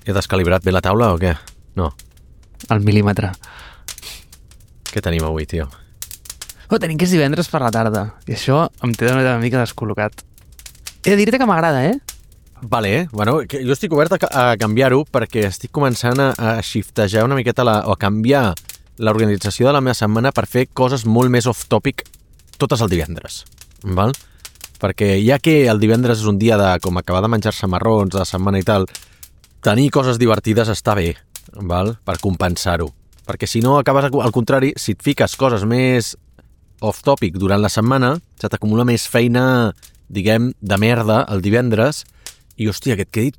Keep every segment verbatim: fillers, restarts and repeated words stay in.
Que t'has calibrat bé la taula o què? No. Al mil·límetre. Què tenim avui, tio? Oh, tenim que és divendres per la tarda. I això em té una mica descol·locat. He de dir-te que m'agrada, eh? Vale, bueno, que jo estic obert a, a canviar-ho perquè estic començant a, a shiftejar una miqueta la, o a canviar l'organització de la meva setmana per fer coses molt més off-topic totes el divendres, val? Perquè ja que el divendres és un dia de com acabar de menjar-se marrons de la setmana i tal, tenir coses divertides està bé, val? Per compensar-ho. Perquè si no acabes al contrari, si et fiques coses més off-topic durant la setmana, se t'acumula més feina, diguem, de merda el divendres i, hòstia, que et quedi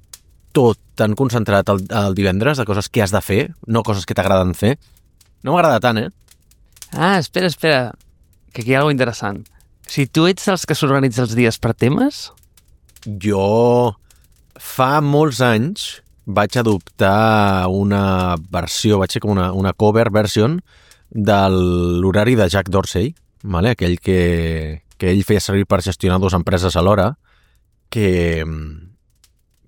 tot tan concentrat el, el divendres de coses que has de fer, no coses que t'agraden fer. No m'agrada tant, eh? Ah, espera, espera, que aquí hi ha alguna interessant. Si tu ets dels que s'organitza els dies per temes... Jo fa molts anys vaig adoptar una versió, vaig ser com una, una cover version de l'horari de Jack Dorsey, vale? Aquell que, que ell feia servir per gestionar dues empreses alhora, que,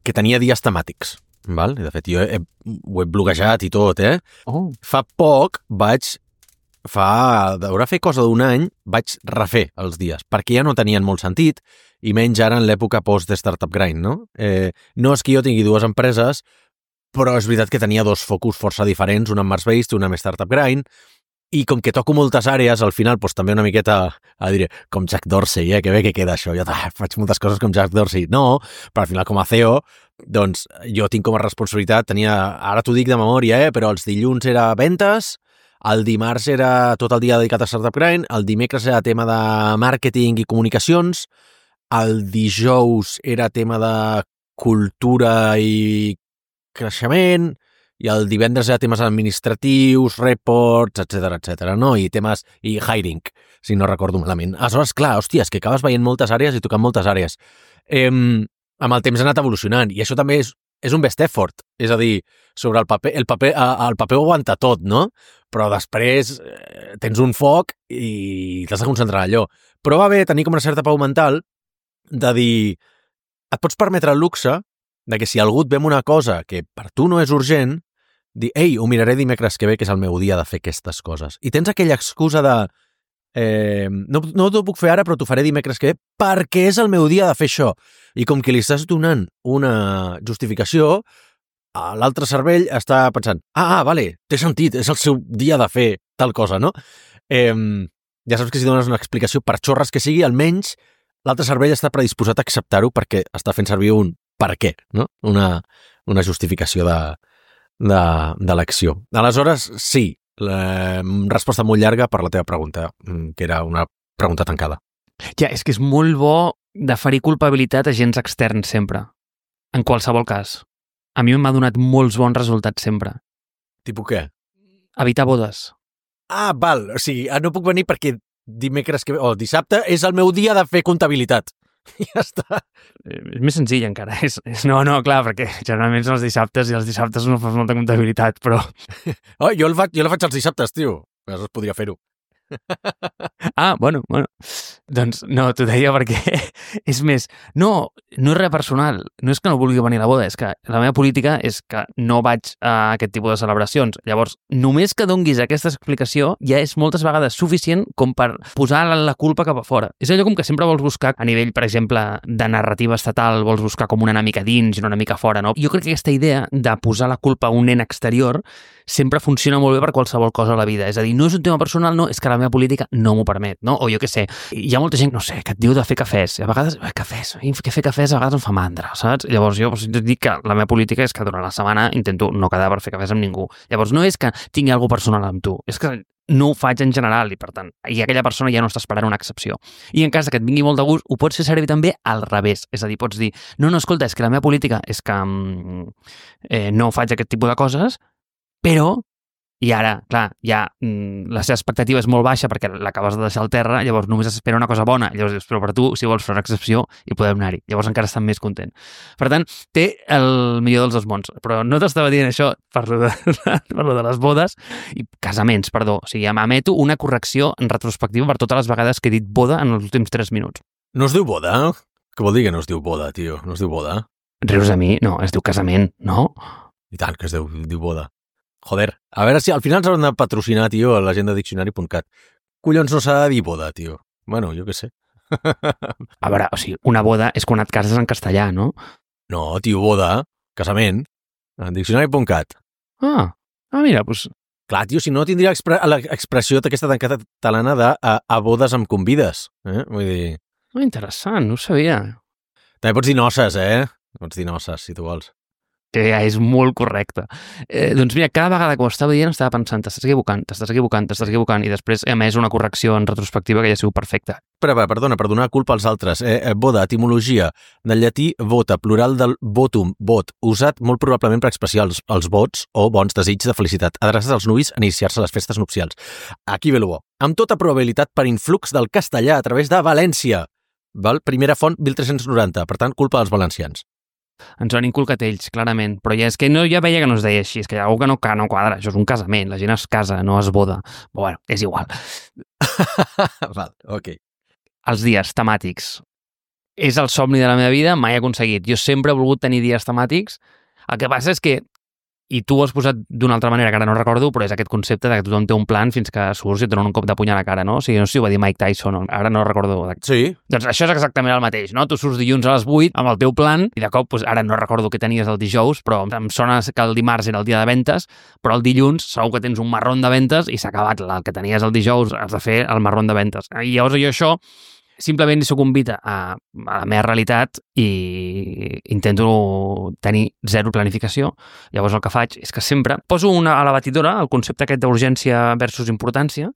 que tenia dies temàtics. Val? De fet, jo he, ho he bloquejat i tot, eh? Oh. Fa poc vaig, fa, d'haurà fer cosa d'un any, vaig refer els dies, perquè ja no tenien molt sentit, i menys ara en l'època post-startup grind, no? Eh, no és que jo tingui dues empreses, però és veritat que tenia dos focus força diferents, una amb Mars-based i una amb startup grind, i com que toco moltes àrees, al final doncs, també una miqueta, a dir, com Jack Dorsey, eh? Que bé que queda això, jo ah, faig moltes coses com Jack Dorsey. No, però al final com a C E O, doncs jo tinc com a responsabilitat, tenia, ara t'ho dic de memòria, eh? Però els dilluns era ventes, el dimarts era tot el dia dedicat a startup grind, el dimecres era tema de màrqueting i comunicacions, el dijous era tema de cultura i creixement, i el divendres era temes administratius, reports, etcètera, etcètera, no? I temes, i hiring, si no recordo malament. Aleshores, clar, hòstia, és que acabes veient moltes àrees i tocant moltes àrees. Eh, amb el temps ha anat evolucionant, i això també és, és un best effort, és a dir, sobre el paper, el paper, el paper ho aguanta tot, no? Però després eh, tens un foc i t'has de concentrar en allò. Però va bé tenir com una certa pau mental de dir, et pots permetre el luxe de que si algú et ve amb una cosa que per tu no és urgent, dir, ei, ho miraré dimecres que ve, que és el meu dia de fer aquestes coses. I tens aquella excusa de eh, no, no t'ho puc fer ara, però t'ho faré dimecres que ve perquè és el meu dia de fer això. I com que li estàs donant una justificació, l'altre cervell està pensant, ah, ah, vale, té sentit, és el seu dia de fer tal cosa, no? Eh, ja saps que si dones una explicació per xorres que sigui, almenys l'altre cervell està predisposat a acceptar-ho perquè està fent servir un per què, no? Una, una justificació de, de, de l'acció. Aleshores, sí, la resposta molt llarga per la teva pregunta, que era una pregunta tancada. Ja, és que és molt bo deferir culpabilitat a agents externs sempre, en qualsevol cas. A mi m'ha donat molts bons resultats sempre. Tipus què? Evitar bodes. Ah, val, o sigui, no puc venir perquè dimecres que ve, o dissabte és el meu dia de fer comptabilitat. Ja està. És més senzill encara. És, és, no, no, clar, perquè generalment són els dissabtes i els dissabtes no fas molta comptabilitat, però... Oh, jo, el faig, jo la faig els dissabtes, tio. Aleshores podria fer-ho. Ah, bueno, bueno. Doncs no, t'ho deia perquè és més, no, no és res personal, no és que no vulgui venir a la boda, és que la meva política és que no vaig a aquest tipus de celebracions. Llavors, només que donguis aquesta explicació ja és moltes vegades suficient com per posar la culpa cap a fora. És allò com que sempre vols buscar a nivell, per exemple, de narrativa estatal, vols buscar com una mica dins i una mica fora, no? Jo crec que aquesta idea de posar la culpa a un nen exterior sempre funciona molt bé per qualsevol cosa a la vida. És a dir, no és un tema personal, no, és que la meva política no m'ho permet, no? O jo què sé, hi ha molta gent, no sé, que et diu de fer cafès. I a vegades, eh, cafès, que fer cafès a vegades em fa mandra, saps? Llavors jo pues, dic que la meva política és que durant la setmana intento no quedar per fer cafès amb ningú. Llavors no és que tingui alguna personal amb tu, és que no ho faig en general i per tant, i aquella persona ja no està esperant una excepció. I en cas que et vingui molt de gust, ho pots fer servir també al revés. És a dir, pots dir, no, no, escolta, és que la meva política és que eh, no faig aquest tipus de coses, però i ara, clar, ja mm, la seva expectativa és molt baixa perquè l'acabes de deixar al terra, llavors només espera una cosa bona, llavors dius, però per tu, si vols fer una excepció, hi podem anar-hi. Llavors encara estan més content. Per tant, té el millor dels dos mons. Però no t'estava dient això per lo de, per lo de les bodes i casaments, perdó. O sigui, emeto una correcció en retrospectiva per totes les vegades que he dit boda en els últims tres minuts. No es diu boda? Què vol dir que no es diu boda, tio? No es diu boda? Rius a mi? No, es diu casament, no? I tant, que es diu, diu boda. Joder, a veure si al final s'han de patrocinar, tio, a la gent de diccionari punt cat. Collons no s'ha de dir boda, tio. Bueno, jo què sé. A veure, o sigui, una boda és quan et cases en castellà, no? No, tio, boda, casament, en diccionari punt cat. Ah, ah mira, doncs... Clar, tio, si no tindria expre l'expressió aquesta tan catalana de a, a bodes em convides. Eh? Vull dir... Oh, interessant, no ho sabia. També pots dir noces, eh? Pots dir noces, si tu vols. Que ja és molt correcte. Eh, doncs mira, cada vegada que ho estava dient estava pensant, t'estàs equivocant, t'estàs equivocant, t'estàs equivocant, i després he emès una correcció en retrospectiva que ja ha sigut perfecta. Però, perdona, per donar culpa als altres. Eh, eh, boda, etimologia, del llatí vota, plural del votum, vot, usat molt probablement per expressar els, els vots o bons desitjos de felicitat, adreçats als nuvis a iniciar-se a les festes nupcials. Aquí ve el bo. Amb tota probabilitat per influx del castellà a través de València. Val? Primera font, mil tres-cents noranta, per tant, culpa dels valencians. Ens ho han inculcat ells, clarament, però ja és que no, ja veia que no es deia així, és que hi ha algú que no, que no quadra, això és un casament, la gent es casa, no es boda. Però bueno, és igual. Val, ok. Els dies temàtics. És el somni de la meva vida, mai he aconseguit. Jo sempre he volgut tenir dies temàtics. El que passa és que, i tu ho has posat d'una altra manera que ara no recordo, però és aquest concepte de que tothom té un plan fins que surts i et donen un cop de puny a la cara, no? O sigui, no sé si ho va dir Mike Tyson, ara no recordo. Sí. Doncs això és exactament el mateix, no? Tu surts dilluns a les vuit amb el teu plan i de cop, doncs, ara no recordo què tenies el dijous, però em sona que el dimarts era el dia de ventes, però el dilluns segur que tens un marrón de ventes i s'ha acabat. El que tenies el dijous has de fer el marrón de ventes. I llavors jo això simplement hi sucumbita a, a la meva realitat i intento tenir zero planificació. Llavors el que faig és que sempre poso una, a la batidora el concepte aquest d'urgència versus importància.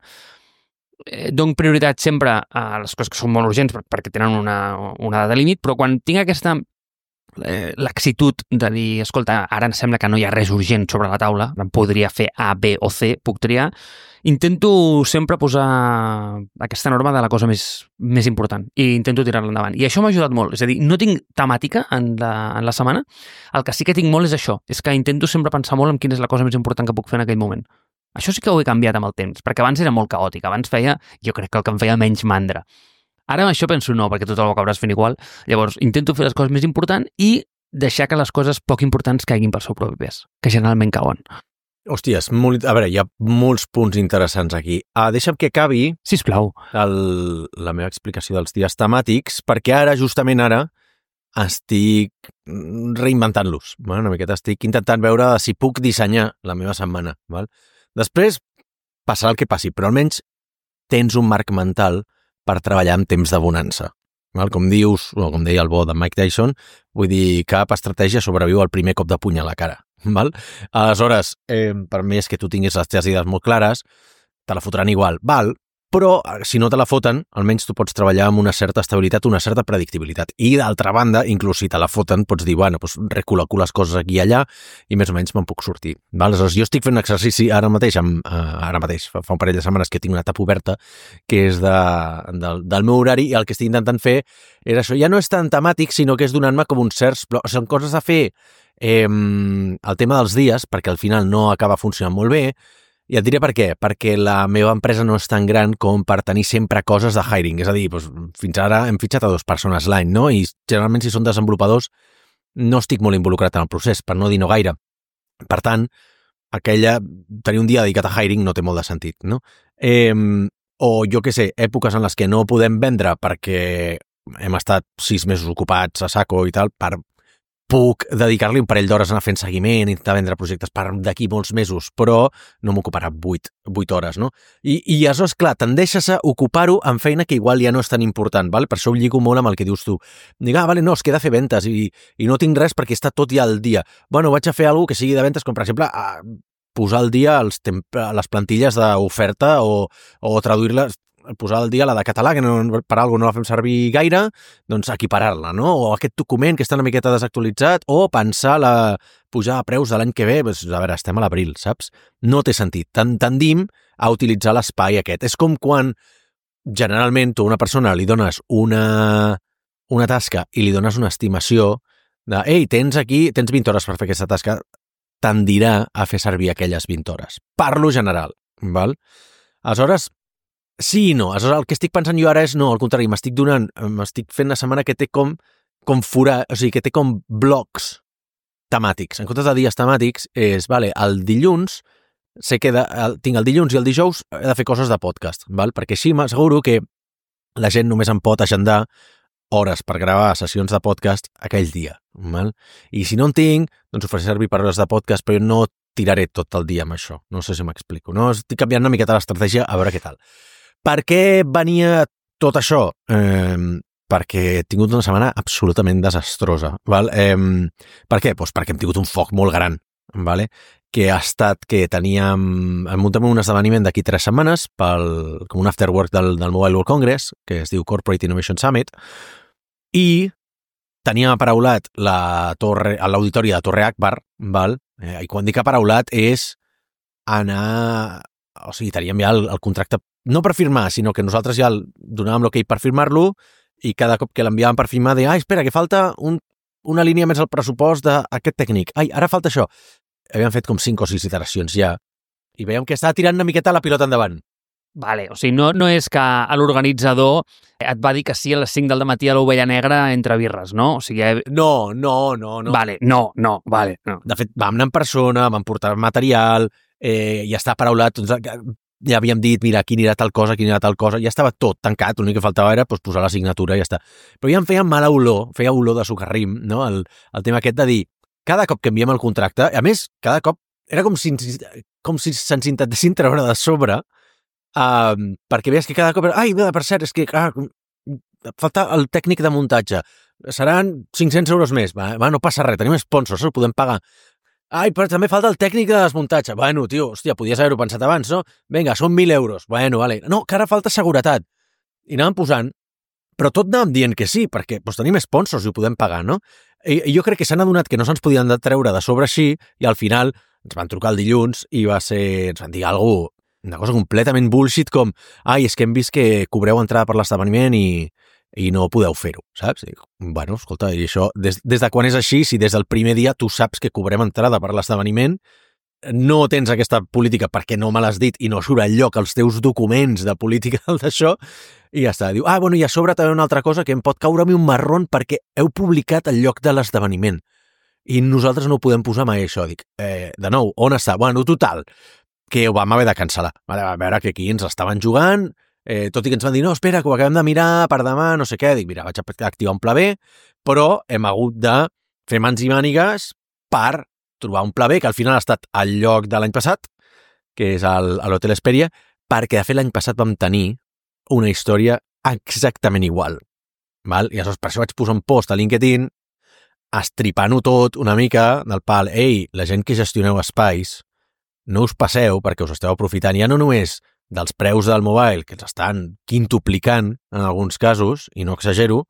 Eh, dono prioritat sempre a les coses que són molt urgents perquè tenen una, una data límit, però quan tinc aquesta eh, laxitud de dir, escolta, ara em sembla que no hi ha res urgent sobre la taula, em podria fer A, B o C, puc triar, intento sempre posar aquesta norma de la cosa més, més important i intento tirar-la endavant. I això m'ha ajudat molt. És a dir, no tinc temàtica en la, en la setmana. El que sí que tinc molt és això. És que intento sempre pensar molt en quina és la cosa més important que puc fer en aquell moment. Això sí que ho he canviat amb el temps, perquè abans era molt caòtic. Abans feia, jo crec que el que em feia menys mandra. Ara amb això penso no, perquè tot el ho acabaràs fent igual. Llavors, intento fer les coses més importants i deixar que les coses poc importants caiguin pel seu propi pes, que generalment cauen. Hòsties, molt, a veure, hi ha molts punts interessants aquí. Ah, deixa'm que acabi Sisplau. el, la meva explicació dels dies temàtics, perquè ara, justament ara, estic reinventant-los. Bueno, una miqueta estic intentant veure si puc dissenyar la meva setmana. Val? Després passarà el que passi, però almenys tens un marc mental per treballar en temps de bonança. Val? Com dius, o com deia el bo de Mike Tyson, vull dir, cap estratègia sobreviu al primer cop de puny a la cara. Val? Aleshores, eh, per més que tu tinguis les teves idees molt clares, te la fotran igual. Val? Però, si no te la foten, almenys tu pots treballar amb una certa estabilitat, una certa predictibilitat. I, d'altra banda, inclús si te la foten, pots dir, bueno, doncs recol·loco les coses aquí i allà i més o menys me'n puc sortir. Val? Aleshores, jo estic fent un exercici ara mateix, amb, eh, ara mateix, fa, fa un parell de setmanes que tinc una etapa oberta, que és de, de, del meu horari, i el que estic intentant fer és això. Ja no és tan temàtic, sinó que és donant-me com uns certs... Però són coses a fer eh, el tema dels dies, perquè al final no acaba funcionant molt bé. I et diré per què. Perquè la meva empresa no és tan gran com per tenir sempre coses de hiring. És a dir, doncs, fins ara hem fitxat a dues persones l'any, no? I generalment, si són desenvolupadors, no estic molt involucrat en el procés, per no dir no gaire. Per tant, aquella, tenir un dia dedicat a hiring no té molt de sentit, no? Eh, o, jo què sé, èpoques en les que no podem vendre perquè hem estat sis mesos ocupats a saco i tal, per puc dedicar-li un parell d'hores a anar fent seguiment, intentar vendre projectes per d'aquí molts mesos, però no m'ocuparà vuit, vuit hores, no? I, i aleshores, clar, tendeixes a ocupar-ho en feina que igual ja no és tan important, val? Per això ho lligo molt amb el que dius tu. Dic, ah, vale, no, es queda a fer ventes i, i no tinc res perquè està tot ja al dia. Bueno, vaig a fer alguna que sigui de ventes, com per exemple, a posar al dia els les plantilles d'oferta o, o traduir-les, posar al dia la de català, que no, per alguna no la fem servir gaire, doncs equiparar-la, no? O aquest document que està una miqueta desactualitzat, o pensar la pujar a preus de l'any que ve, doncs, a veure, estem a l'abril, saps? No té sentit. Tendim a utilitzar l'espai aquest. És com quan generalment tu a una persona li dones una, una tasca i li dones una estimació de, ei, tens aquí, tens vint hores per fer aquesta tasca, tendirà a fer servir aquelles vint hores. Parlo general, val? Aleshores, sí i no. Aleshores, el que estic pensant jo ara és no, al contrari, m'estic donant, m'estic fent una setmana que té com, com forar, o sigui, que té com blocs temàtics. En comptes de dies temàtics, és, vale, el dilluns, sé que de, el, tinc el dilluns i el dijous, he de fer coses de podcast, val? Perquè així m'asseguro que la gent només em pot agendar hores per gravar sessions de podcast aquell dia, val? I si no en tinc, doncs ho faré servir per hores de podcast, però no tiraré tot el dia amb això. No sé si m'explico. No? Estic canviant una miqueta l'estratègia, a veure què tal. Per què venia tot això? Eh, perquè he tingut una setmana absolutament desastrosa. Val? Eh, per què? Pues perquè hem tingut un foc molt gran, vale? Que ha estat que teníem... Hem muntat un esdeveniment d'aquí tres setmanes pel, com un afterwork del, del Mobile World Congress, que es diu Corporate Innovation Summit, i teníem aparaulat la torre, l'auditori de Torre Akbar, val? Eh, i quan dic aparaulat és anar... O sigui, teníem ja el, el contracte, no per firmar, sinó que nosaltres ja el, donàvem l'ok per firmar-lo i cada cop que l'enviàvem per firmar deia, ah, espera, que falta un, una línia més al pressupost d'aquest tècnic. Ai, ara falta això. Havíem fet com cinc o sis iteracions ja i veiem que estava tirant una miqueta la pilota endavant. Vale, o sigui, no, no és que l'organitzador et va dir que sí a les cinc del matí a l'Ovella Negra entre birres, no? O sigui, no, no, no, no. Vale, no, no, vale. No. De fet, vam anar en persona, vam portar material, eh, ja està paraulat, ja havíem dit, mira, aquí anirà tal cosa, aquí anirà tal cosa, ja estava tot tancat, l'únic que faltava era pues, posar la signatura i ja està. Però ja em feia mala olor, feia olor de socarrim, no? El, el tema aquest de dir, cada cop que enviem el contracte, a més, cada cop era com si, com si se'ns intentessin treure de sobre, Uh, perquè veies que cada cop... Ai, per cert, és que ah, falta el tècnic de muntatge. Seran cinc-cents euros més. Va, va, no passa res, tenim sponsors, ho podem pagar. Ai, però també falta el tècnic de desmuntatge. Bueno, tio, hòstia, podies haver-ho pensat abans, no? Vinga, són mil euros. Bueno, vale. No, que ara falta seguretat. I anàvem posant, però tot anàvem dient que sí, perquè doncs, tenim sponsors i ho podem pagar, no? I, i jo crec que s'han adonat que no se'ns podien treure de sobre així i al final ens van trucar el dilluns i va ser... ens van dir alguna cosa una cosa completament bullshit com ai, és que hem vist que cobreu entrada per l'esdeveniment i, i no podeu fer-ho, saps? I, bueno, escolta, i això, des, des de quan és així, si des del primer dia tu saps que cobrem entrada per l'esdeveniment, no tens aquesta política perquè no me l'has dit i no surt enlloc els teus documents de política d'això, i ja està. Diu, ah, bueno, i a sobre també una altra cosa que em pot caure a mi un marrón perquè heu publicat el lloc de l'esdeveniment i nosaltres no ho podem posar mai això. Dic, eh, de nou, on està? Bueno, total, que ho vam haver de cancel·lar. A veure que aquí ens estaven jugant, eh, tot i que ens van dir, no, espera, que ho acabem de mirar per demà, no sé què. Dic, mira, vaig activar un pla B, però hem hagut de fer mans i mànigues per trobar un pla B, que al final ha estat al lloc de l'any passat, que és a l'Hotel Hesperia, perquè de fet l'any passat vam tenir una història exactament igual. Val? I aleshores per això vaig posar un post a LinkedIn estripant-ho tot una mica del pal, ei, la gent que gestioneu espais, no us passeu perquè us esteu aprofitant ja no només dels preus del mobile, que els estan quintuplicant en alguns casos, i no exagero,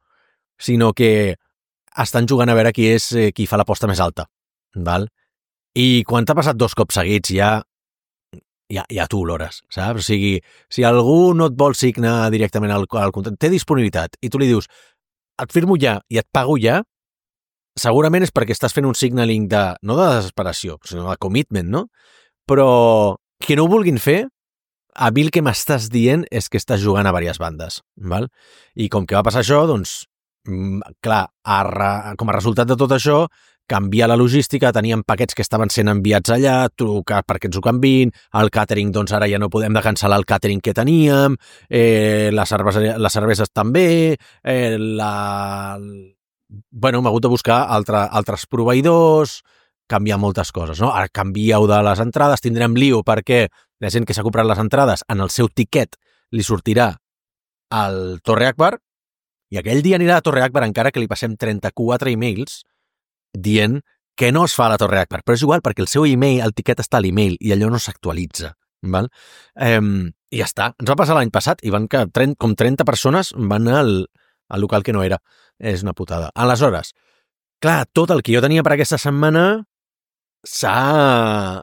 sinó que estan jugant a veure qui és qui fa l'aposta més alta. Val? I quan t'ha passat dos cops seguits ja ja, ja tu olores, saps? O sigui, si algú no et vol signar directament al, al contracte, té disponibilitat, i tu li dius, et firmo ja i et pago ja, segurament és perquè estàs fent un signaling de, no de desesperació, sinó de commitment, no? Però que no ho vulguin fer, a mi el que m'estàs dient és que estàs jugant a diverses bandes, val? I com que va passar això, doncs, clar, a re, com a resultat de tot això, canviar la logística, teníem paquets que estaven sent enviats allà, trucar perquè ens ho canviïn, el càtering, doncs ara ja no podem de cancel·lar el càtering que teníem, eh, les, cerveses, les cerveses també, eh, la... Bueno, m'he hagut de buscar altre, altres proveïdors, canviar moltes coses, no? Ara canvieu de les entrades, tindrem lío perquè la gent que s'ha comprat les entrades en el seu tiquet li sortirà al Torre Akbar i aquell dia anirà a Torre Akbar encara que li passem trenta-quatre e-mails dient que no es fa a la Torre Akbar, però és igual perquè el seu e-mail, el tiquet està a l'e-mail i allò no s'actualitza, val? Eh, i ja està. Ens va passar l'any passat i van que trenta, com trenta persones van al, al local que no era. És una putada. Aleshores, clar, tot el que jo tenia per aquesta setmana s'ha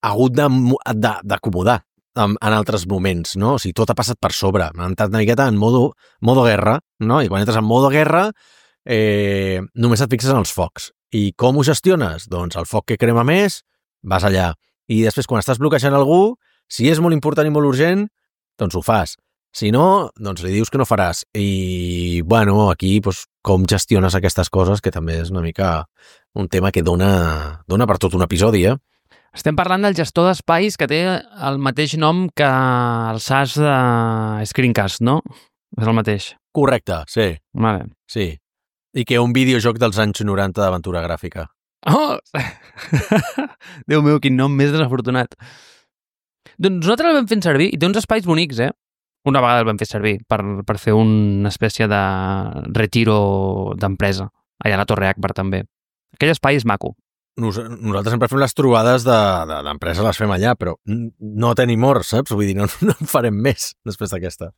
hagut d'acomodar en, en altres moments, no? O sigui, tot ha passat per sobre. M'ha entrat una miqueta en modo, modo guerra, no? I quan entres en modo guerra, eh, només et fixes en els focs. I com ho gestiones? Doncs el foc que crema més, vas allà. I després, quan estàs bloquejant algú, si és molt important i molt urgent, doncs ho fas. Si no, doncs li dius que no faràs. I, bueno, aquí, doncs, com gestiones aquestes coses, que també és una mica un tema que dona, dona per tot un episodi, eh? Estem parlant del gestor d'espais que té el mateix nom que el SaaS de Screencast, no? És el mateix. Correcte, sí. Vale. Sí. I que un videojoc dels anys noranta d'aventura gràfica. Oh! Déu meu, quin nom més desafortunat. Doncs nosaltres el vam fent servir i té uns espais bonics, eh? Una vegada el vam fer servir per, per fer una espècie de retiro d'empresa. Allà a la Torre Akbar també. Aquell espai és maco. Nos, nosaltres sempre fem les trobades d'empresa, de, les fem allà, però no tenim hora, saps? Vull dir, no, no en farem més després d'aquesta.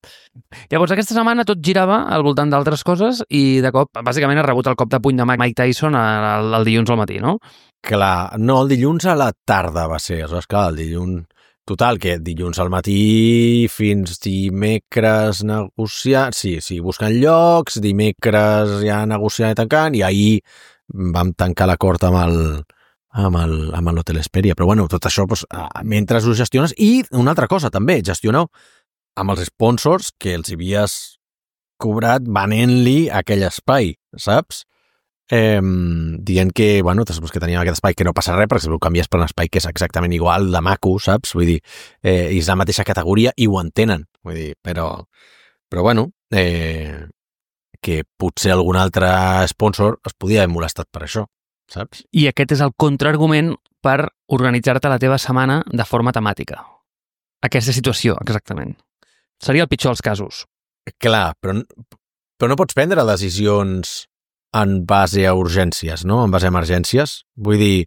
Llavors, aquesta setmana tot girava al voltant d'altres coses i de cop, bàsicament, ha rebut el cop de puny de Mike Tyson el, el dilluns al matí, no? Clar, no, el dilluns a la tarda va ser, aleshores, clar, el dilluns... Total, que dilluns al matí fins dimecres negociar... Sí, sí, buscant llocs, dimecres ja negociant i tancant, i ahir vam tancar l'acord amb el amb el, amb l'Hotel Hesperia. Però bueno, tot això, doncs, mentre ho gestiones... I una altra cosa, també, gestioneu amb els sponsors que els havies cobrat venent-li aquell espai, saps? Eh, dient que, bueno, que teníem aquest espai que no passa res, perquè si ho canvies per un espai que és exactament igual de maco, saps? Vull dir, eh, és la mateixa categoria i ho entenen, vull dir, però, però bueno, eh, que potser algun altre sponsor es podia haver molestat per això, saps? I aquest és el contraargument per organitzar-te la teva setmana de forma temàtica. Aquesta situació, exactament. Seria el pitjor dels casos. Clar, però, però no pots prendre decisions en base a urgències, no? En base a emergències. Vull dir,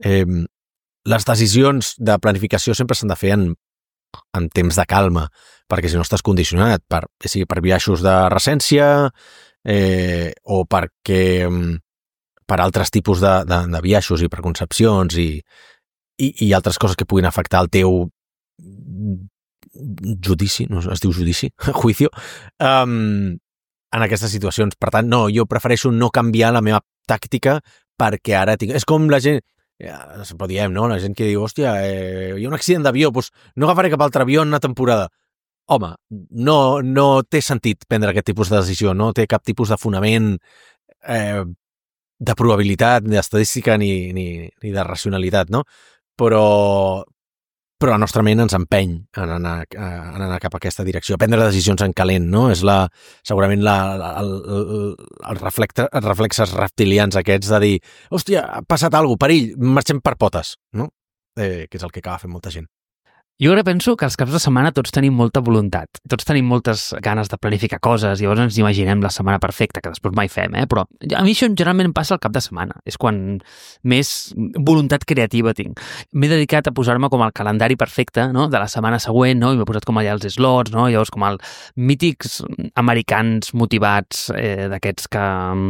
eh, les decisions de planificació sempre s'han de fer en, en temps de calma, perquè si no estàs condicionat per, sigui per biaixos de recència eh, o perquè per altres tipus de, de, de biaixos i preconcepcions i, i, i altres coses que puguin afectar el teu judici, no es diu judici, juicio, um, en aquestes situacions. Per tant, no, jo prefereixo no canviar la meva tàctica perquè ara tinc... És com la gent... Ja, sempre diem, no? La gent que diu, hòstia, eh, hi ha un accident d'avió, doncs no agafaré cap altre avió en una temporada. Home, no, no té sentit prendre aquest tipus de decisió, no té cap tipus de fonament eh, de probabilitat, ni d'estadística, ni, ni, ni de racionalitat, no? Però... però la nostra ment ens empeny en anar, en anar cap a aquesta direcció, a prendre decisions en calent, no? És la, segurament la, el, el, el reflexe, els reflexes reptilians aquests de dir, hòstia, ha passat alguna cosa, perill, marxem per potes, no? Eh, que és el que acaba fent molta gent. Jo ara penso que els caps de setmana tots tenim molta voluntat, tots tenim moltes ganes de planificar coses i llavors ens imaginem la setmana perfecta, que després mai fem, eh? Però a mi això generalment em passa al cap de setmana, és quan més voluntat creativa tinc. M'he dedicat a posar-me com el calendari perfecte, no?, de la setmana següent, no?, i m'he posat com allà els slots, no?, llavors com els mítics americans motivats eh, d'aquests que um,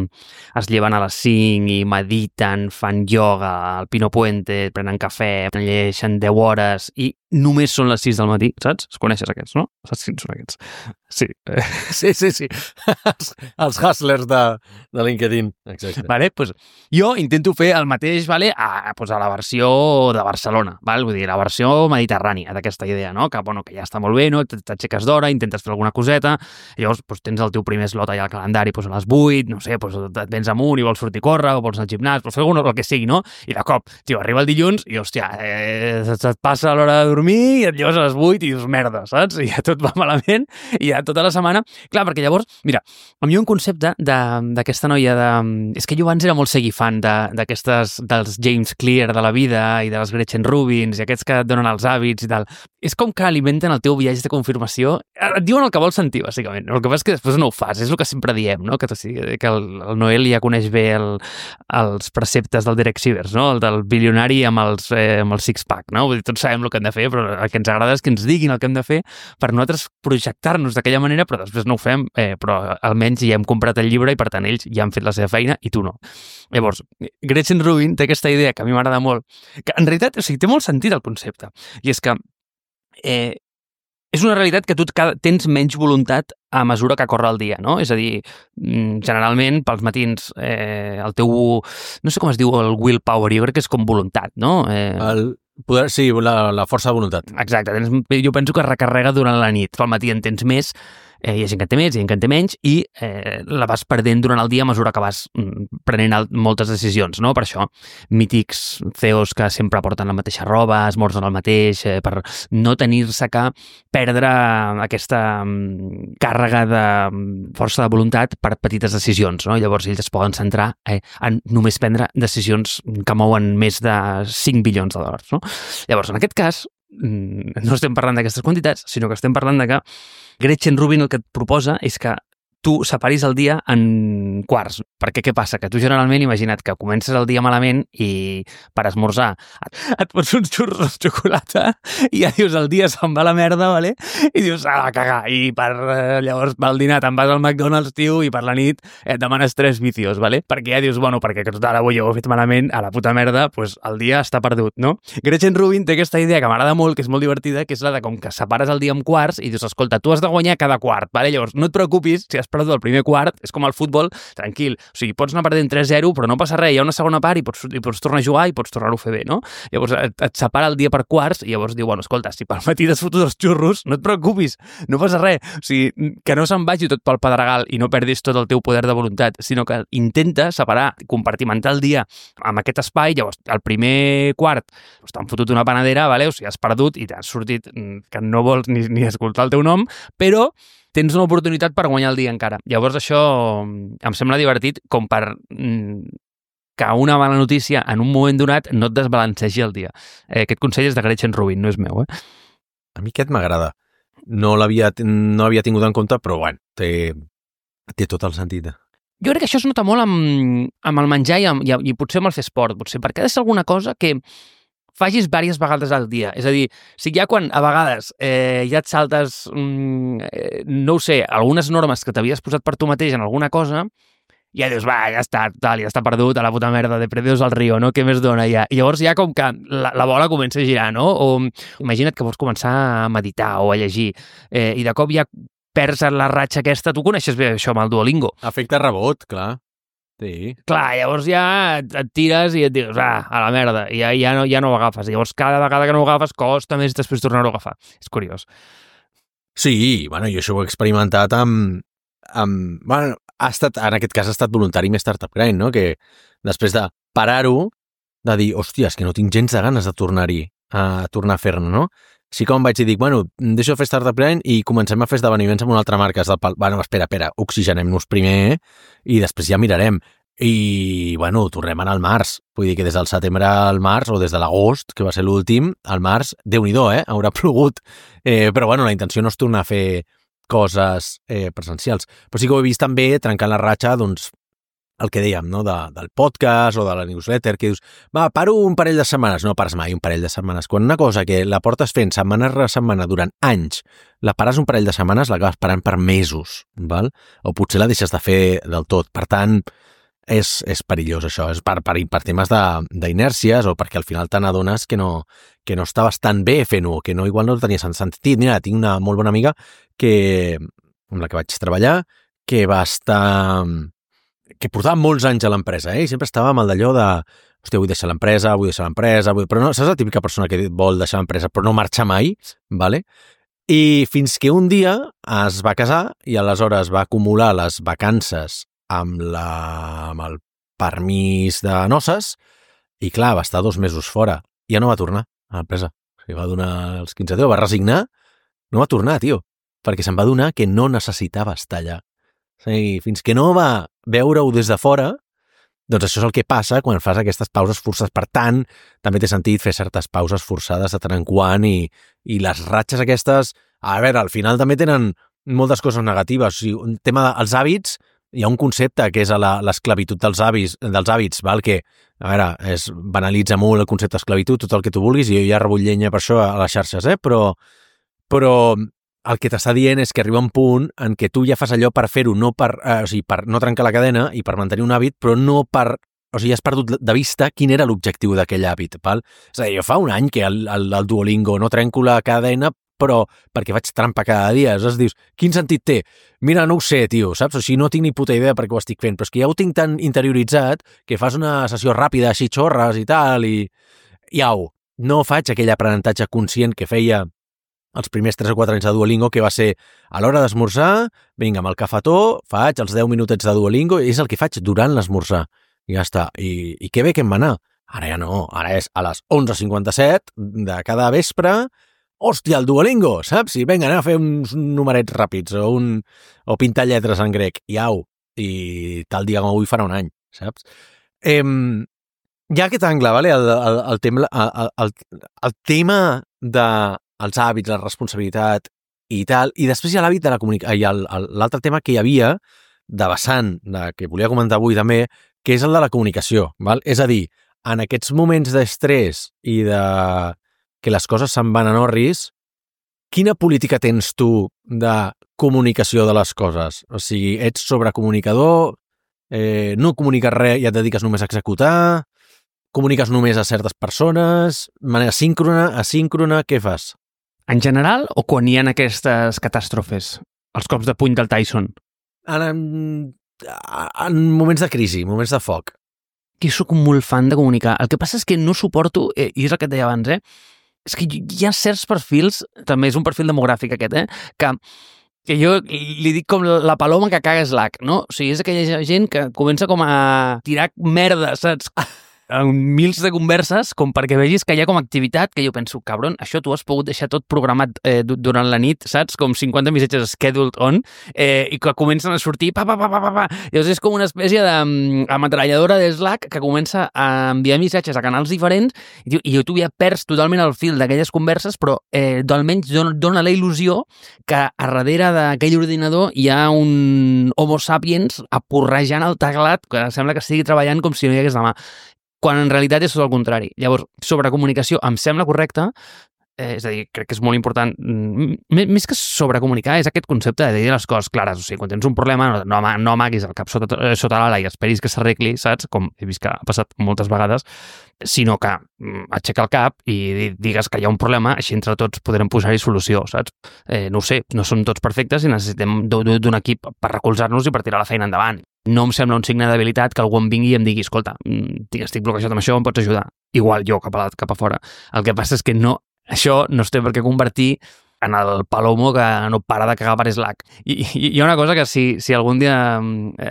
es lleven a les cinc i mediten, fan ioga, al Pino Puente, prenen cafè, llegeixen deu hores i només són les sis del matí, saps? Els coneixes aquests, no? Saps quins són aquests? Sí. Sí, sí, sí. Els, els hustlers de, de LinkedIn. Exacte. Vale, pues, jo intento fer el mateix, vale, a, pues, a la versió de Barcelona, val? Vull dir, la versió mediterrània d'aquesta idea, no? Que, bueno, que ja està molt bé, no? T'aixeques d'hora, intentes fer alguna coseta, i llavors pues, tens el teu primer slot allà al calendari pues, a les vuit, no sé, pues, et vens amunt i vols sortir a córrer, o vols anar al gimnàs, vols fer alguna cosa, el que sigui, no? I de cop, tio, arriba el dilluns i, hòstia, eh, et passa l'hora de dormir i et lleves a les vuit i dius, merda, saps? I ja tot va malament i ja tota la setmana... Clar, perquè llavors, mira, a mi un concepte d'aquesta noia de... És que jo abans era molt seguir fan d'aquestes, de, dels James Clear de la vida i de les Gretchen Rubins i aquests que et donen els hàbits i tal. És com que alimenten el teu viatge de confirmació. Et diuen el que vols sentir, bàsicament. El que passa és que després no ho fas, és el que sempre diem, no? Que, que el, el Noel ja coneix bé el, els preceptes del Derek Sivers, no? El del bilionari amb els, eh, amb el six-pack, no? Vull dir, tots sabem el que hem de fer, però el que ens agrada és que ens diguin el que hem de fer per nosaltres projectar-nos d'aquella manera, però després no ho fem, eh, però almenys ja hem comprat el llibre i per tant ells ja han fet la seva feina i tu no. Llavors, Gretchen Rubin té aquesta idea que a mi m'agrada molt, que en realitat, o sigui, té molt sentit el concepte, i és que eh, és una realitat que tu tens menys voluntat a mesura que corre el dia, no? És a dir, generalment pels matins eh, el teu, no sé com es diu el willpower, jo crec que és com voluntat, no? Eh... El poder, sí, la, la força de voluntat. Exacte, tens, jo penso que es recarrega durant la nit, pel matí en tens més, Eh, hi ha gent que en té més, hi ha gent que en té menys, i eh, la vas perdent durant el dia a mesura que vas mm, prenent el, moltes decisions, no? Per això, mítics C E Os que sempre porten la mateixa roba, esmorzen el mateix, eh, per no tenir-se que perdre aquesta mm, càrrega de mm, força de voluntat per petites decisions, no? Llavors ells es poden centrar eh, en només prendre decisions que mouen més de cinc bilions de dòlars, no? Llavors, en aquest cas, no estem parlant d'aquestes quantitats, sinó que estem parlant de que Gretchen Rubin el que et proposa és que tu separis el dia en quarts. Perquè què passa? Que tu generalment, imagina't que comences el dia malament i per esmorzar et, et pots uns xurros de xocolata i ja dius el dia se'n va a la merda, vale? I dius, ah, a cagar. I per, eh, llavors pel dinar te'n vas al McDonald's, tio, i per la nit et demanes tres vicios, vale? Perquè ja dius, bueno, perquè que tot ara avui ho he fet malament, a la puta merda, pues el dia està perdut, no? Gretchen Rubin té aquesta idea que m'agrada molt, que és molt divertida, que és la de com que separes el dia en quarts i dius, escolta, tu has de guanyar cada quart, vale? Llavors no et preocupis si has perdut el primer quart, és com el futbol, tranquil. O sigui, pots anar perdent tres zero, però no passa res, hi ha una segona part i pots, i pots tornar a jugar i pots tornar-ho a fer bé, no? Llavors et, et separa el dia per quarts i llavors diu, bueno, escolta, si pel matí t'has fotut els xurros, no et preocupis, no passa res. O sigui, que no se'n vagi tot pel pedregal i no perdis tot el teu poder de voluntat, sinó que intenta separar, compartimentar el dia amb aquest espai. Llavors, el primer quart doncs, t'han fotut una panadera, vale? O sigui, has perdut i t'has sortit que no vols ni, ni escoltar el teu nom, però tens una oportunitat per guanyar el dia encara. Llavors això em sembla divertit com per mm, que una mala notícia en un moment donat no et desbalancegi el dia. Eh, aquest consell és de Gretchen Rubin, no és meu, eh? A mi aquest m'agrada. No l'havia no havia tingut en compte, però bueno, té, té tot el sentit. Jo crec que això es nota molt amb, amb el menjar i, amb, i, i potser amb el fer esport, potser, perquè ha de ser alguna cosa que facis diverses vegades al dia. És a dir, si ja quan a vegades eh, ja et saltes, mm, eh, no ho sé, algunes normes que t'havies posat per tu mateix en alguna cosa, ja dius, va, ja està, tal, ja està perdut, a la puta merda, de perdidos al río, no? Què més dona ja? I llavors ja com que la, la bola comença a girar, no? O imagina't que vols començar a meditar o a llegir eh, i de cop ja perds la ratxa aquesta. Tu coneixes bé això amb el Duolingo. Efecte rebot, clar. Sí. Clar, llavors ja et, et tires i et dius, ah, a la merda, i ja, ja, no, ja no ho agafes. Llavors cada vegada que no ho agafes costa més després tornar-ho a agafar. És curiós. Sí, bueno, jo això ho he experimentat amb... amb bueno, ha estat, en aquest cas ha estat voluntari més Startup Grind, no? Que després de parar-ho, de dir, hòstia, és que no tinc gens de ganes de tornar-hi, a tornar a fer-ne, no? Sí que em vaig dir, dic, bueno, deixo de fer Startup Grind i comencem a fer esdeveniments amb una altra marca. Del pal... Bueno, espera, espera, oxigenem-nos primer i després ja mirarem. I, bueno, tornem anar al març. Vull dir que des del setembre al març, o des de l'agost, que va ser l'últim, al març, Déu-n'hi-do, eh? Haurà plogut. Eh, però, bueno, la intenció no és tornar a fer coses eh, presencials. Però sí que ho he vist també trencant la ratxa, doncs, el que dèiem, no? De, del podcast o de la newsletter, que dius, va, paro un parell de setmanes. No pares mai un parell de setmanes. Quan una cosa que la portes fent setmana rere setmana durant anys, la pares un parell de setmanes, l'acabes parant per mesos, val? O potser la deixes de fer del tot. Per tant, és, és perillós això. És per, per, per temes d'inèrcies o perquè al final te n'adones que no, que no estaves tan bé fent-ho, que no, igual no tenies sentit. Mira, tinc una molt bona amiga que, amb la que vaig treballar, que va estar... que portava molts anys a l'empresa, eh? I sempre estava amb el d'allò de, hòstia, vull deixar l'empresa, vull deixar l'empresa, vull... però no, saps la típica persona que vol deixar l'empresa però no marxa mai, vale? I fins que un dia es va casar i aleshores va acumular les vacances amb, la, amb el permís de noces i clar, va estar dos mesos fora i ja no va tornar a l'empresa. O sigui, va donar els quinze dies, va resignar, no va tornar, tio, perquè se'n va adonar que no necessitava estar allà. O sigui, fins que no va veure-ho des de fora, doncs això és el que passa quan fas aquestes pauses forçades. Per tant, també té sentit fer certes pauses forçades de tant en quant i, i les ratxes aquestes, a veure, al final també tenen moltes coses negatives. O sigui, un tema dels hàbits, hi ha un concepte que és l'esclavitud dels hàbits, dels hàbits, val? Que, a veure, es banalitza molt el concepte d'esclavitud, tot el que tu vulguis, i jo ja rebull llenya per això a les xarxes, eh? Però, però el que t'està dient és que arriba un punt en què tu ja fas allò per fer-ho, no per, eh, o sigui, per no trencar la cadena i per mantenir un hàbit, però no per... O sigui, has perdut de vista quin era l'objectiu d'aquell hàbit, val? És a dir, jo fa un any que el, el, el Duolingo no trenco la cadena, però perquè faig trampa cada dia. Aleshores dius, quin sentit té? Mira, no ho sé, tio, saps? O sigui, no tinc ni puta idea per què ho estic fent, però és que ja ho tinc tan interioritzat que fas una sessió ràpida, així xorres i tal, i... I au, no faig aquell aprenentatge conscient que feia els primers tres o quatre anys de Duolingo, que va ser a l'hora d'esmorzar, vinga, amb el cafetó, faig els deu minutets de Duolingo, i és el que faig durant l'esmorzar. I ja està. I, i que bé que em va anar. Ara ja no, ara és a les onze cinquanta-set de cada vespre, hòstia, el Duolingo, saps? I vinga, anem a fer uns numerets ràpids o, un, o pintar lletres en grec. I au, i tal dia com avui farà un any, saps? Eh, hi ha aquest angle, vale? el, el, el, tema, el, el, el tema de els hàbits, la responsabilitat i tal, i després hi ha l'hàbit de la comunicació, i l'altre tema que hi havia de vessant, de, que volia comentar avui també, que és el de la comunicació, val? És a dir, en aquests moments d'estrès i de que les coses se'n van a orris, quina política tens tu de comunicació de les coses? O sigui, ets sobrecomunicador, eh, no comuniques res i et dediques només a executar, comuniques només a certes persones, manera síncrona, asíncrona, què fas? En general, o quan hi ha aquestes catàstrofes? Els cops de puny del Tyson? En, en moments de crisi, moments de foc. Que soc molt fan de comunicar. El que passa és que no suporto, eh, i és el que et deia abans, eh? És que hi ha certs perfils, també és un perfil demogràfic aquest, eh? Que, que jo li dic com la paloma que caga Slack, no? O sigui, és aquella gent que comença com a tirar merda, saps? En mils de converses, com perquè vegis que hi ha com activitat, que jo penso, cabron, això tu has pogut deixar tot programat eh, durant la nit, saps? Com cinquanta missatges scheduled on, eh, i que comencen a sortir, pa, pa, pa, pa, pa, pa. Llavors és com una espècie d'ametralladora de Slack que comença a enviar missatges a canals diferents, i, i tu ja perds totalment el fil d'aquelles converses, però eh, almenys dona, dona la il·lusió que a darrere d'aquell ordinador hi ha un homo sapiens apurrejant el teclat, que sembla que estigui treballant com si no hi hagués demà. Quan en realitat és tot el contrari. Llavors, sobrecomunicació em sembla correcta, eh, és a dir, crec que és molt important, m més que sobrecomunicar, és aquest concepte de dir les coses clares. O sigui, quan tens un problema, no, no, no amaguis el cap sota, sota l'ala i esperis que s'arregli, saps? Com he vist que ha passat moltes vegades, sinó que mm, aixeca el cap i digues que hi ha un problema, així entre tots podrem posar-hi solució, saps? Eh, no ho sé, no som tots perfectes i necessitem d'un equip per recolzar-nos i per tirar la feina endavant. No em sembla un signe d'habilitat que algú em vingui i em digui, escolta, estic bloquejat amb això, em pots ajudar? Igual jo cap a, la, cap a fora. El que passa és que no, això no es té per què convertir en el palomo que no para de cagar per Slack. I, i hi ha una cosa que si, si algun dia,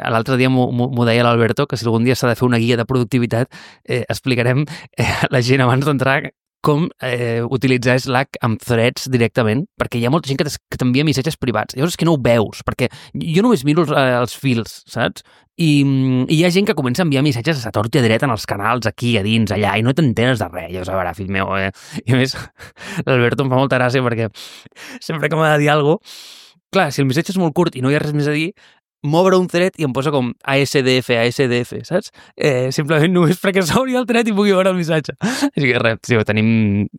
l'altre dia m'ho deia l'Alberto, que si algun dia s'ha de fer una guia de productivitat, eh, explicarem eh, a la gent abans d'entrar com eh, utilitzar Slack amb threads directament, perquè hi ha molta gent que t'envia missatges privats. Llavors és que no ho veus, perquè jo només miro els, eh, els fils, saps? I, I hi ha gent que comença a enviar missatges a tort i a dret en els canals, aquí, a dins, allà, i no t'entenes de res. Llavors, a veure, fill meu, eh? I a més, l'Alberto em fa molta gràcia perquè sempre que m'ha de dir alguna cosa, clar, si el missatge és molt curt i no hi ha res més a dir, m'obre un thread i em posa com A S D F, A S D F, saps? Eh, simplement només perquè s'obri el thread i pugui veure el missatge. Així que res, tio, tenim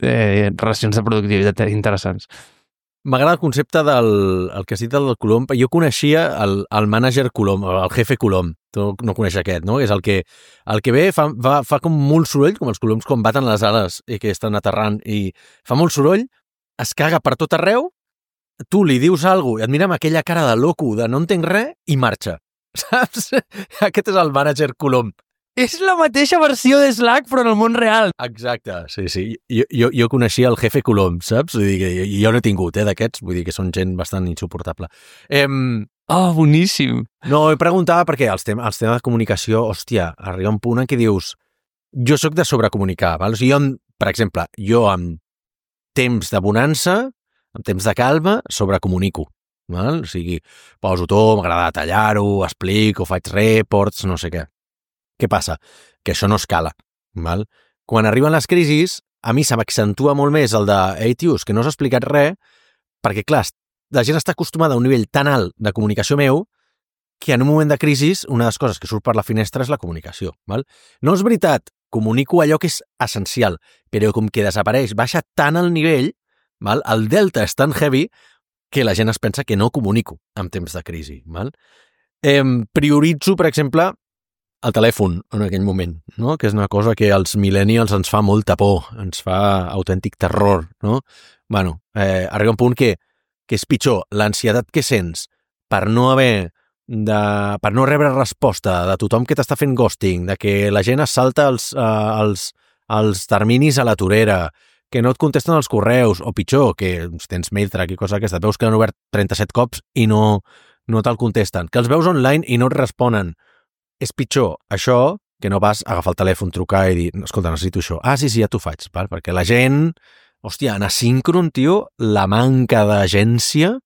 eh, relacions de productivitat interessants. M'agrada el concepte del el que has dit del Colom. Jo coneixia el, el mànager Colom, el jefe Colom. Tu no coneixes aquest, no? És el que, el que ve fa, fa, fa com molt soroll, com els coloms quan baten les ales i que estan aterrant, i fa molt soroll, es caga per tot arreu, tu li dius alguna cosa i et mira amb aquella cara de loco, de no entenc res, i marxa. Saps? Aquest és el mànager Colom. És la mateixa versió de Slack, però en el món real. Exacte, sí, sí. Jo, jo, jo coneixia el jefe Colom, saps? Vull dir que jo, jo no he tingut, eh, d'aquests. Vull dir que són gent bastant insuportable. Eh, oh, boníssim. No, he preguntat perquè els, tem els temes de comunicació, hòstia, arriba un punt en què dius jo sóc de sobrecomunicar, val? O sigui, jo, per exemple, jo amb temps de bonança, en temps de calma, sobrecomunico. Val? O sigui, poso tot, m'agrada tallar-ho, explico, faig reports, no sé què. Què passa? Que això no escala. Val? Quan arriben les crisis, a mi se m'accentua molt més el de «Ei, tios, que no has explicat res», perquè, clar, la gent està acostumada a un nivell tan alt de comunicació meu que en un moment de crisis una de les coses que surt per la finestra és la comunicació. Val? No és veritat, comunico allò que és essencial, però com que desapareix, baixa tant el nivell, val? El delta és tan heavy que la gent es pensa que no comunico en temps de crisi. Val? Eh, prioritzo, per exemple, el telèfon en aquell moment, no? Que és una cosa que als millennials ens fa molta por, ens fa autèntic terror, no? Bueno, eh, arriba un punt que, que és pitjor l'ansietat que sents per no haver de, per no rebre resposta de tothom que t'està fent ghosting, de que la gent es salta els, eh, els, els terminis a la torera, que no et contesten els correus, o pitjor, que tens MailTrack i coses d'aquestes, veus que han obert trenta-set cops i no, no te'l contesten, que els veus online i no et responen. És pitjor això que no vas agafar el telèfon, trucar i dir, escolta, necessito això. Ah, sí, sí, ja t'ho faig, val? Perquè la gent, hòstia, en asíncron, tio, la manca d'agència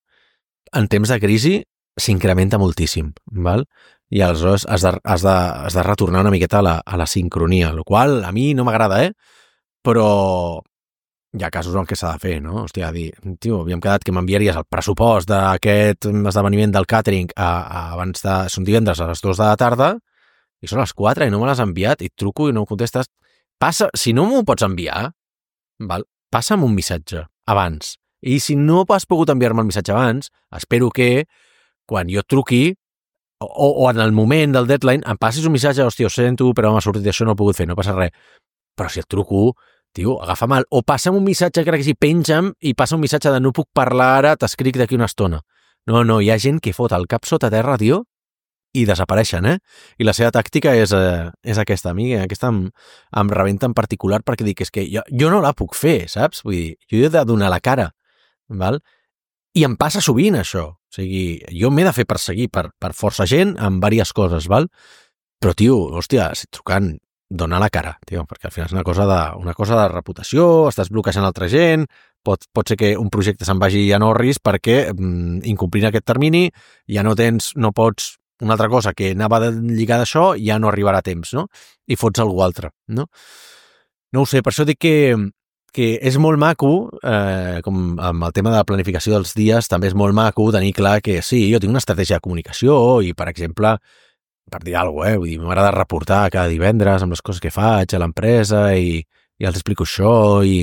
en temps de crisi s'incrementa moltíssim, val? I aleshores has de, has de, has de retornar una miqueta a la, a la sincronia, el qual a mi no m'agrada, eh? Però hi ha casos en què s'ha de fer, no? Hòstia, dir, tio, havíem quedat que m'enviaries el pressupost d'aquest esdeveniment del catering a, a, abans de... Són divendres a les dues de la tarda i són les quatre i no me l'has enviat i et truco i no em contestes. Passa, si no m'ho pots enviar, val? Passa'm un missatge abans. I si no has pogut enviar-me el missatge abans, espero que quan jo et truqui o, o en el moment del deadline em passis un missatge, hòstia, ho sento, però m'ha sortit això, no he pogut fer, no passa res. Però si et truco, tio, agafa mal. O passa'm un missatge, crec que sí, penja'm i passa un missatge de no puc parlar ara, t'escric d'aquí una estona. No, no, hi ha gent que fot el cap sota terra, tio, i desapareixen, eh? I la seva tàctica és, eh, és aquesta. A mi aquesta em, em rebenta en particular perquè dic, és que jo, jo no la puc fer, saps? Vull dir, jo he de donar la cara, val? I em passa sovint això. O sigui, jo m'he de fer perseguir per, per força gent en diverses coses, val? Però, tio, hòstia, si trucant, dona la cara, tio, perquè al final és una cosa de, una cosa de reputació, estàs bloquejant altra gent, pot, pot ser que un projecte se'n vagi a Norris perquè mm, incomplint aquest termini ja no tens, no pots, una altra cosa que anava lligada a això ja no arribarà a temps, no? I fots algú altre, no? No ho sé, per això dic que, que és molt maco, eh, com amb el tema de la planificació dels dies, també és molt maco tenir clar que sí, jo tinc una estratègia de comunicació i, per exemple, per dir alguna cosa, eh? Vull dir, m'agrada reportar cada divendres amb les coses que faig a l'empresa i, i els explico això i,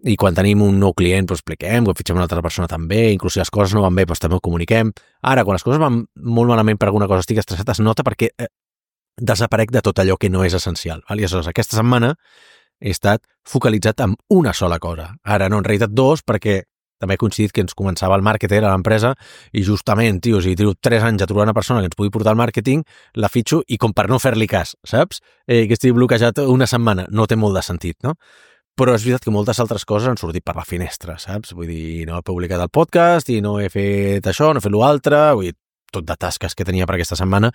i quan tenim un nou client doncs expliquem, quan fitxem una altra persona també, inclús si les coses no van bé doncs també ho comuniquem. Ara, quan les coses van molt malament per alguna cosa estic estressat, es nota perquè eh, desaparec de tot allò que no és essencial. Val? I aleshores, aquesta setmana he estat focalitzat en una sola cosa. Ara no, en realitat dos, perquè també he coincidit que ens començava el màrqueter a l'empresa i justament, tio, si tiro tres anys a trobar una persona que ens pugui portar el màrqueting, la fitxo i com per no fer-li cas, saps? Eh, que estigui bloquejat una setmana. No té molt de sentit, no? Però és veritat que moltes altres coses han sortit per la finestra, saps? Vull dir, no he publicat el podcast i no he fet això, no he fet l'altre, vull dir, tot de tasques que tenia per aquesta setmana,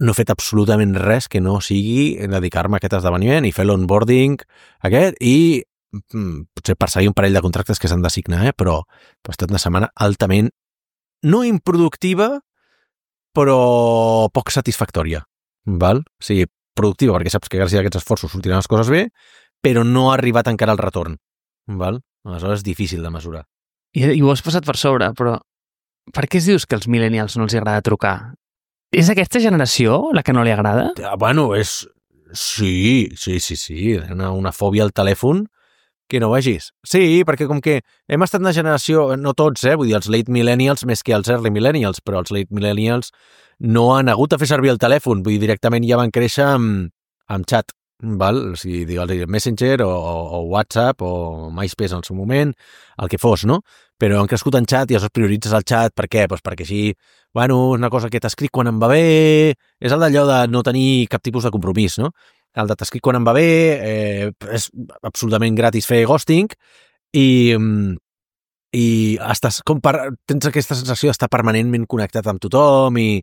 no he fet absolutament res que no sigui dedicar-me a aquest esdeveniment i fer l'onboarding aquest i potser perseguir un parell de contractes que s'han de signar, eh? Però ha estat una setmana altament no improductiva, però poc satisfactòria, val? O sigui, productiva perquè saps que gràcies a aquests esforços sortiran les coses bé, però no ha arribat encara el retorn, val? Aleshores és difícil de mesurar. I, i ho has passat per sobre, però per què es dius que als millennials no els agrada trucar? És aquesta generació la que no li agrada? Bueno, és... Sí, sí, sí, sí. Una, una fòbia al telèfon que no vegis. Sí, perquè com que hem estat una generació, no tots, eh? Vull dir, els late millennials més que els early millennials, però els late millennials no han hagut de fer servir el telèfon, vull dir, directament ja van créixer amb, amb xat, val? O sigui, digues, Messenger o, o, o WhatsApp o MySpace en el seu moment, el que fos, no? Però han crescut en xat i aleshores prioritzes el xat, per què? Pues perquè així, bueno, és una cosa que t'escric quan em va bé, és el d'allò de no tenir cap tipus de compromís, no? El de t'escric quan em va bé, eh, és absolutament gratis fer ghosting i, i estàs com per, tens aquesta sensació d'estar permanentment connectat amb tothom i,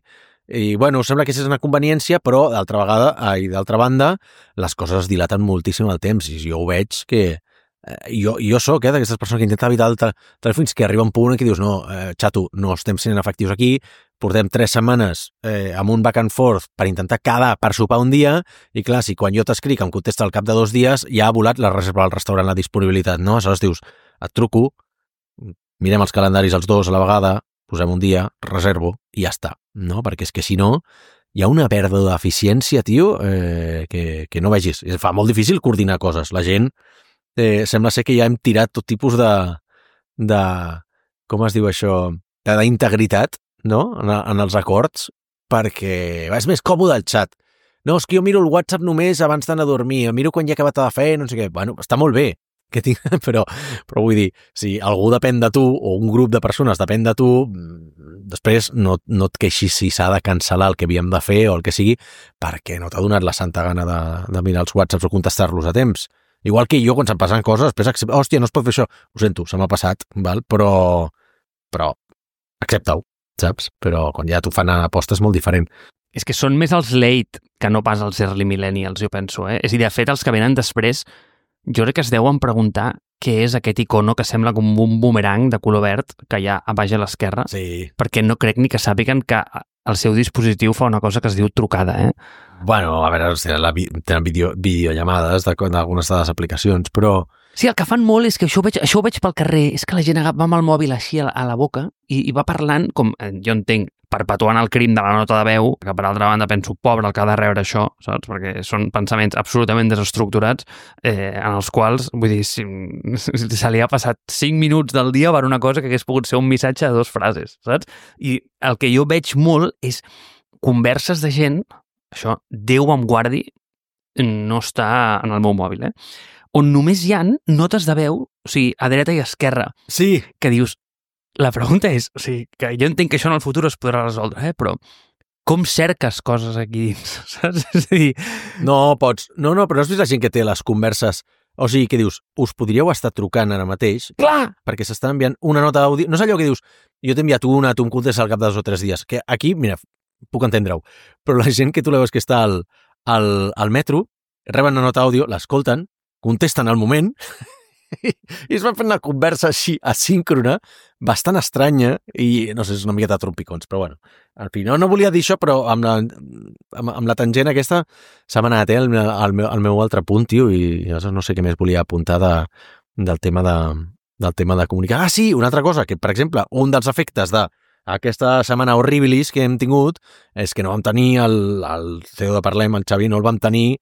i bueno, sembla que és una conveniència, però d'altra vegada, i d'altra banda, les coses es dilaten moltíssim al temps i jo ho veig que eh, jo, jo soc eh, d'aquestes persones que intenten evitar el telèfon fins que arriba un punt en què dius no, eh, xato, no estem sent efectius aquí, portem tres setmanes eh, amb un back and forth per intentar quedar per sopar un dia i clar, si quan jo t'escric em contesta al cap de dos dies ja ha volat la reserva al restaurant, la disponibilitat, no? Aleshores dius, et truco, mirem els calendaris els dos a la vegada, posem un dia, reservo i ja està, no? Perquè és que si no hi ha una pèrdua d'eficiència, tio, eh, que, que no vegis. Es fa molt difícil coordinar coses. La gent eh, sembla ser que ja hem tirat tot tipus de, de com es diu això, d'integritat, no? En, en els acords, perquè és més còmode el xat. No, és que jo miro el WhatsApp només abans d'anar a dormir, miro quan ja he acabat de fer, no sé què. Bueno, està molt bé, que tinc, però, però vull dir, si algú depèn de tu, o un grup de persones depèn de tu, després no, no et queixis si s'ha de cancel·lar el que havíem de fer o el que sigui, perquè no t'ha donat la santa gana de, de mirar els WhatsApps o contestar-los a temps. Igual que jo, quan se'm passen coses, després accepto, hòstia, no es pot fer això. Ho sento, se m'ha passat, val? Però, però accepta-ho, saps? Però quan ja t'ho fan a posta és molt diferent. És que són més els late que no pas els early millennials, jo penso, eh? És a dir, de fet, els que venen després, jo crec que es deuen preguntar què és aquest icono que sembla com un boomerang de color verd que hi ha a baix a l'esquerra, Sí. perquè no crec ni que sàpiguen que el seu dispositiu fa una cosa que es diu trucada, eh? Bueno, a veure, tenen, la, tenen video, videollamades d'algunes de les aplicacions, però... Sí, el que fan molt és que això ho veig, això ho veig pel carrer, és que la gent va amb el mòbil així a la, a la boca i, i va parlant, com jo entenc, perpetuant el crim de la nota de veu, que per altra banda penso, pobre el que ha de rebre això, saps? Perquè són pensaments absolutament desestructurats, eh, en els quals, vull dir, si, si se li ha passat cinc minuts del dia per una cosa que hagués pogut ser un missatge de dues frases, saps? I el que jo veig molt és converses de gent, això, Déu em guardi, no està en el meu mòbil, eh? On només hi ha notes de veu, o sigui, a dreta i a esquerra, Sí. que dius, la pregunta és, o sigui, que jo entenc que això en el futur es podrà resoldre, eh? Però com cerques coses aquí dins, saps? És a dir... No, pots... No, no, però no has vist la gent que té les converses... O sigui, que dius, us podríeu estar trucant ara mateix... Clar! Perquè s'està enviant una nota d'àudio... No és allò que dius, jo t'he enviat una, tu em contestes al cap de dos o tres dies. Que aquí, mira, puc entendre-ho, però la gent que tu la veus que està al, al, al metro, reben una nota d'àudio, l'escolten, contesten al moment i es van fent una conversa així asíncrona, bastant estranya i, no sé, és una miqueta trompicons, però bueno, en fi, no, no volia dir això, però amb la, amb, amb la tangent aquesta s'ha anat eh, al, al, meu, al meu altre punt, tio, i llavors no sé què més volia apuntar de, del tema de, del tema de comunicar. Ah, sí, una altra cosa, que per exemple, un dels efectes de aquesta setmana horribilis que hem tingut és que no vam tenir el, el C E O de Parlem, el Xavi, no el vam tenir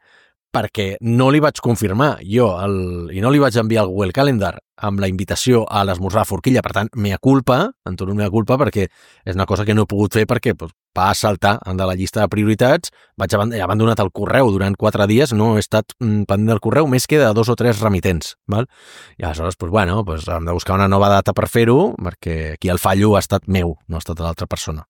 perquè no li vaig confirmar jo el, i no li vaig enviar el Google Calendar amb la invitació a l'esmorzar a Forquilla. Per tant, mea culpa, en tot mea culpa, perquè és una cosa que no he pogut fer perquè pues, va saltar de la llista de prioritats, vaig he abandonat el correu durant quatre dies, no he estat mm, pendent del correu més que de dos o tres remitents. Val? I aleshores, pues, bueno, pues, hem de buscar una nova data per fer-ho, perquè aquí el fallo ha estat meu, no ha estat de l'altra persona.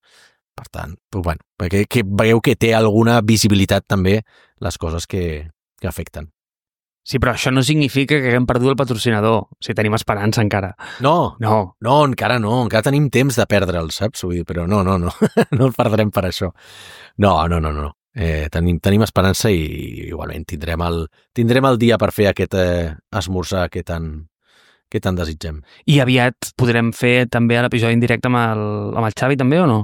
Per tant, pues, bueno, perquè que veieu que té alguna visibilitat també les coses que, que afecten. Sí, però això no significa que haguem perdut el patrocinador. O sigui, tenim esperança encara. No, No. no, encara no, encara tenim temps de perdre'l, saps? Vull dir, però no, no, no, no el perdrem per això. No, no, no, no. Eh, tenim, tenim esperança i igualment tindrem el, tindrem el dia per fer aquest eh, esmorzar que tant, que tant desitgem. I aviat podrem fer també l'episodi en directe amb el, amb el Xavi, també, o no?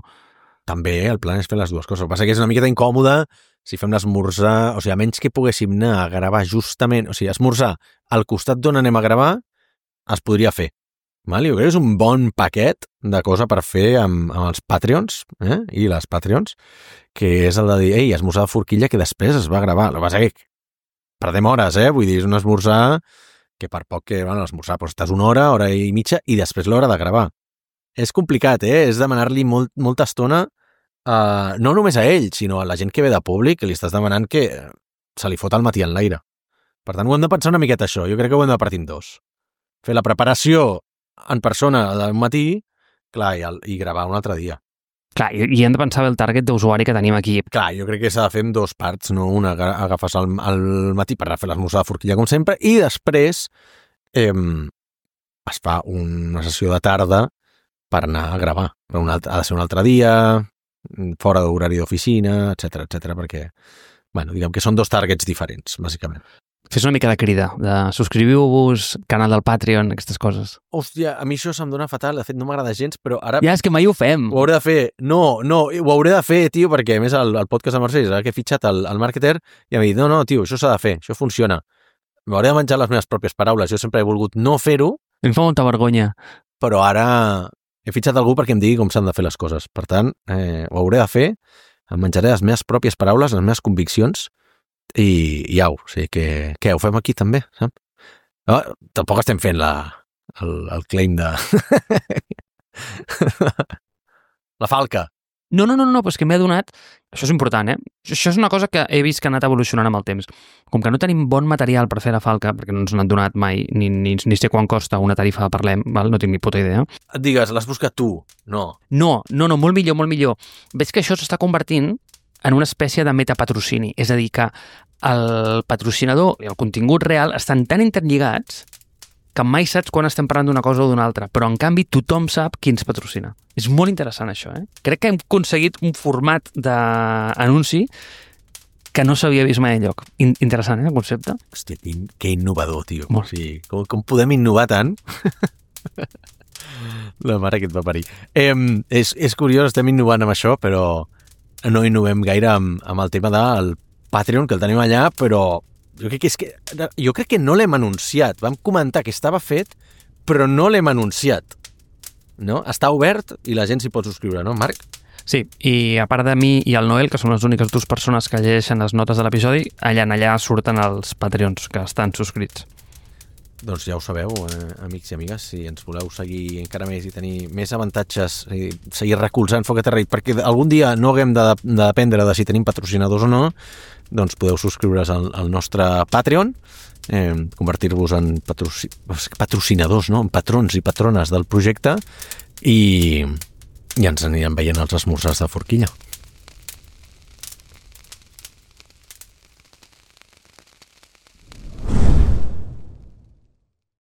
També el plan és fer les dues coses. El que passa que és una miqueta incòmode si fem l'esmorzar, o sigui, a menys que poguéssim anar a gravar justament, o sigui, esmorzar al costat d'on anem a gravar, es podria fer. Val? Jo crec que és un bon paquet de cosa per fer amb, amb els Patreons eh? i les Patreons, que és el de dir, ei, esmorzar de Forquilla que després es va gravar. El que passa que perdem hores, eh? Vull dir, és un esmorzar que per poc que, bueno, l'esmorzar doncs estàs una hora, hora i mitja, i després l'hora de gravar. És complicat, eh? És demanar-li molt, molta estona, uh, no només a ell, sinó a la gent que ve de públic, que li estàs demanant que se li fot el matí en l'aire. Per tant, ho hem de pensar una miqueta això. Jo crec que ho hem de partir en dos. Fer la preparació en persona del matí, clar, i, el, i gravar un altre dia. Clar, i, i hem de pensar bé el target d'usuari que tenim aquí. Clar, jo crec que s'ha de fer en dos parts, no? Una, agafes al, al matí per anar a fer l'esmorzar de Forquilla, com sempre, i després eh, es fa una sessió de tarda per anar a gravar. Per un altre, ha de ser un altre dia, fora d'horari d'oficina, etcètera, etcètera, perquè, bueno, diguem que són dos targets diferents, bàsicament. Fes una mica de crida, de subscriviu-vos, canal del Patreon, aquestes coses. Hòstia, a mi això se'm dona fatal, de fet no m'agrada gens, però ara... Ja, és que mai ho fem. Ho hauré de fer. No, no, ho hauré de fer, tio, perquè a més el, el podcast de Mercedes, ara que he fitxat el, el marketer, i em dit, no, no, tio, això s'ha de fer, això funciona. M'hauré de menjar les meves pròpies paraules, jo sempre he volgut no fer-ho. Em fa molta vergonya. Però ara he fitxat algú perquè em digui com s'han de fer les coses. Per tant, eh, ho hauré de fer, em menjaré les meves pròpies paraules, les meves conviccions, i, i au, o sigui que, què, ho fem aquí també, saps? No, tampoc estem fent la, el, el claim de... la falca. No, no, no, no, però és que m'he adonat, això és important, eh? Això és una cosa que he vist que ha anat evolucionant amb el temps. Com que no tenim bon material per fer la falca, perquè no ens n'han donat mai, ni, ni, ni sé quan costa una tarifa de Parlem, val? No tinc ni puta idea. Et digues, l'has buscat tu? No. No, no, no, molt millor, molt millor. Veig que això s'està convertint en una espècie de metapatrocini, és a dir, que el patrocinador i el contingut real estan tan interlligats que mai saps quan estem parlant d'una cosa o d'una altra, però en canvi tothom sap qui ens patrocina. És molt interessant això, eh? Crec que hem aconseguit un format d'anunci que no s'havia vist mai enlloc. In interessant, eh, el concepte? Hòstia, que, que innovador, tio. Molt. O sigui, com, com podem innovar tant? La mare que et va parir. Eh, és, és curiós, estem innovant amb això, però no innovem gaire amb, amb el tema del Patreon, que el tenim allà, però jo crec que, és que, jo crec que no l'hem anunciat. Vam comentar que estava fet, però no l'hem anunciat. No? Està obert i la gent s'hi pot subscriure, no, Marc? Sí, i a part de mi i el Noel, que són les úniques dues persones que llegeixen les notes de l'episodi, allà en allà surten els Patreons que estan subscrits. Doncs ja ho sabeu, eh, amics i amigues, si ens voleu seguir encara més i tenir més avantatges, i seguir recolzant Foc a Terra, perquè algun dia no haguem de, de dependre de si tenim patrocinadors o no, doncs podeu subscriure's al, al nostre Patreon, eh, convertir-vos en patroci patrocinadors, no? En patrons i patrones del projecte, i, i ens anirem veient els esmorzars de forquilla.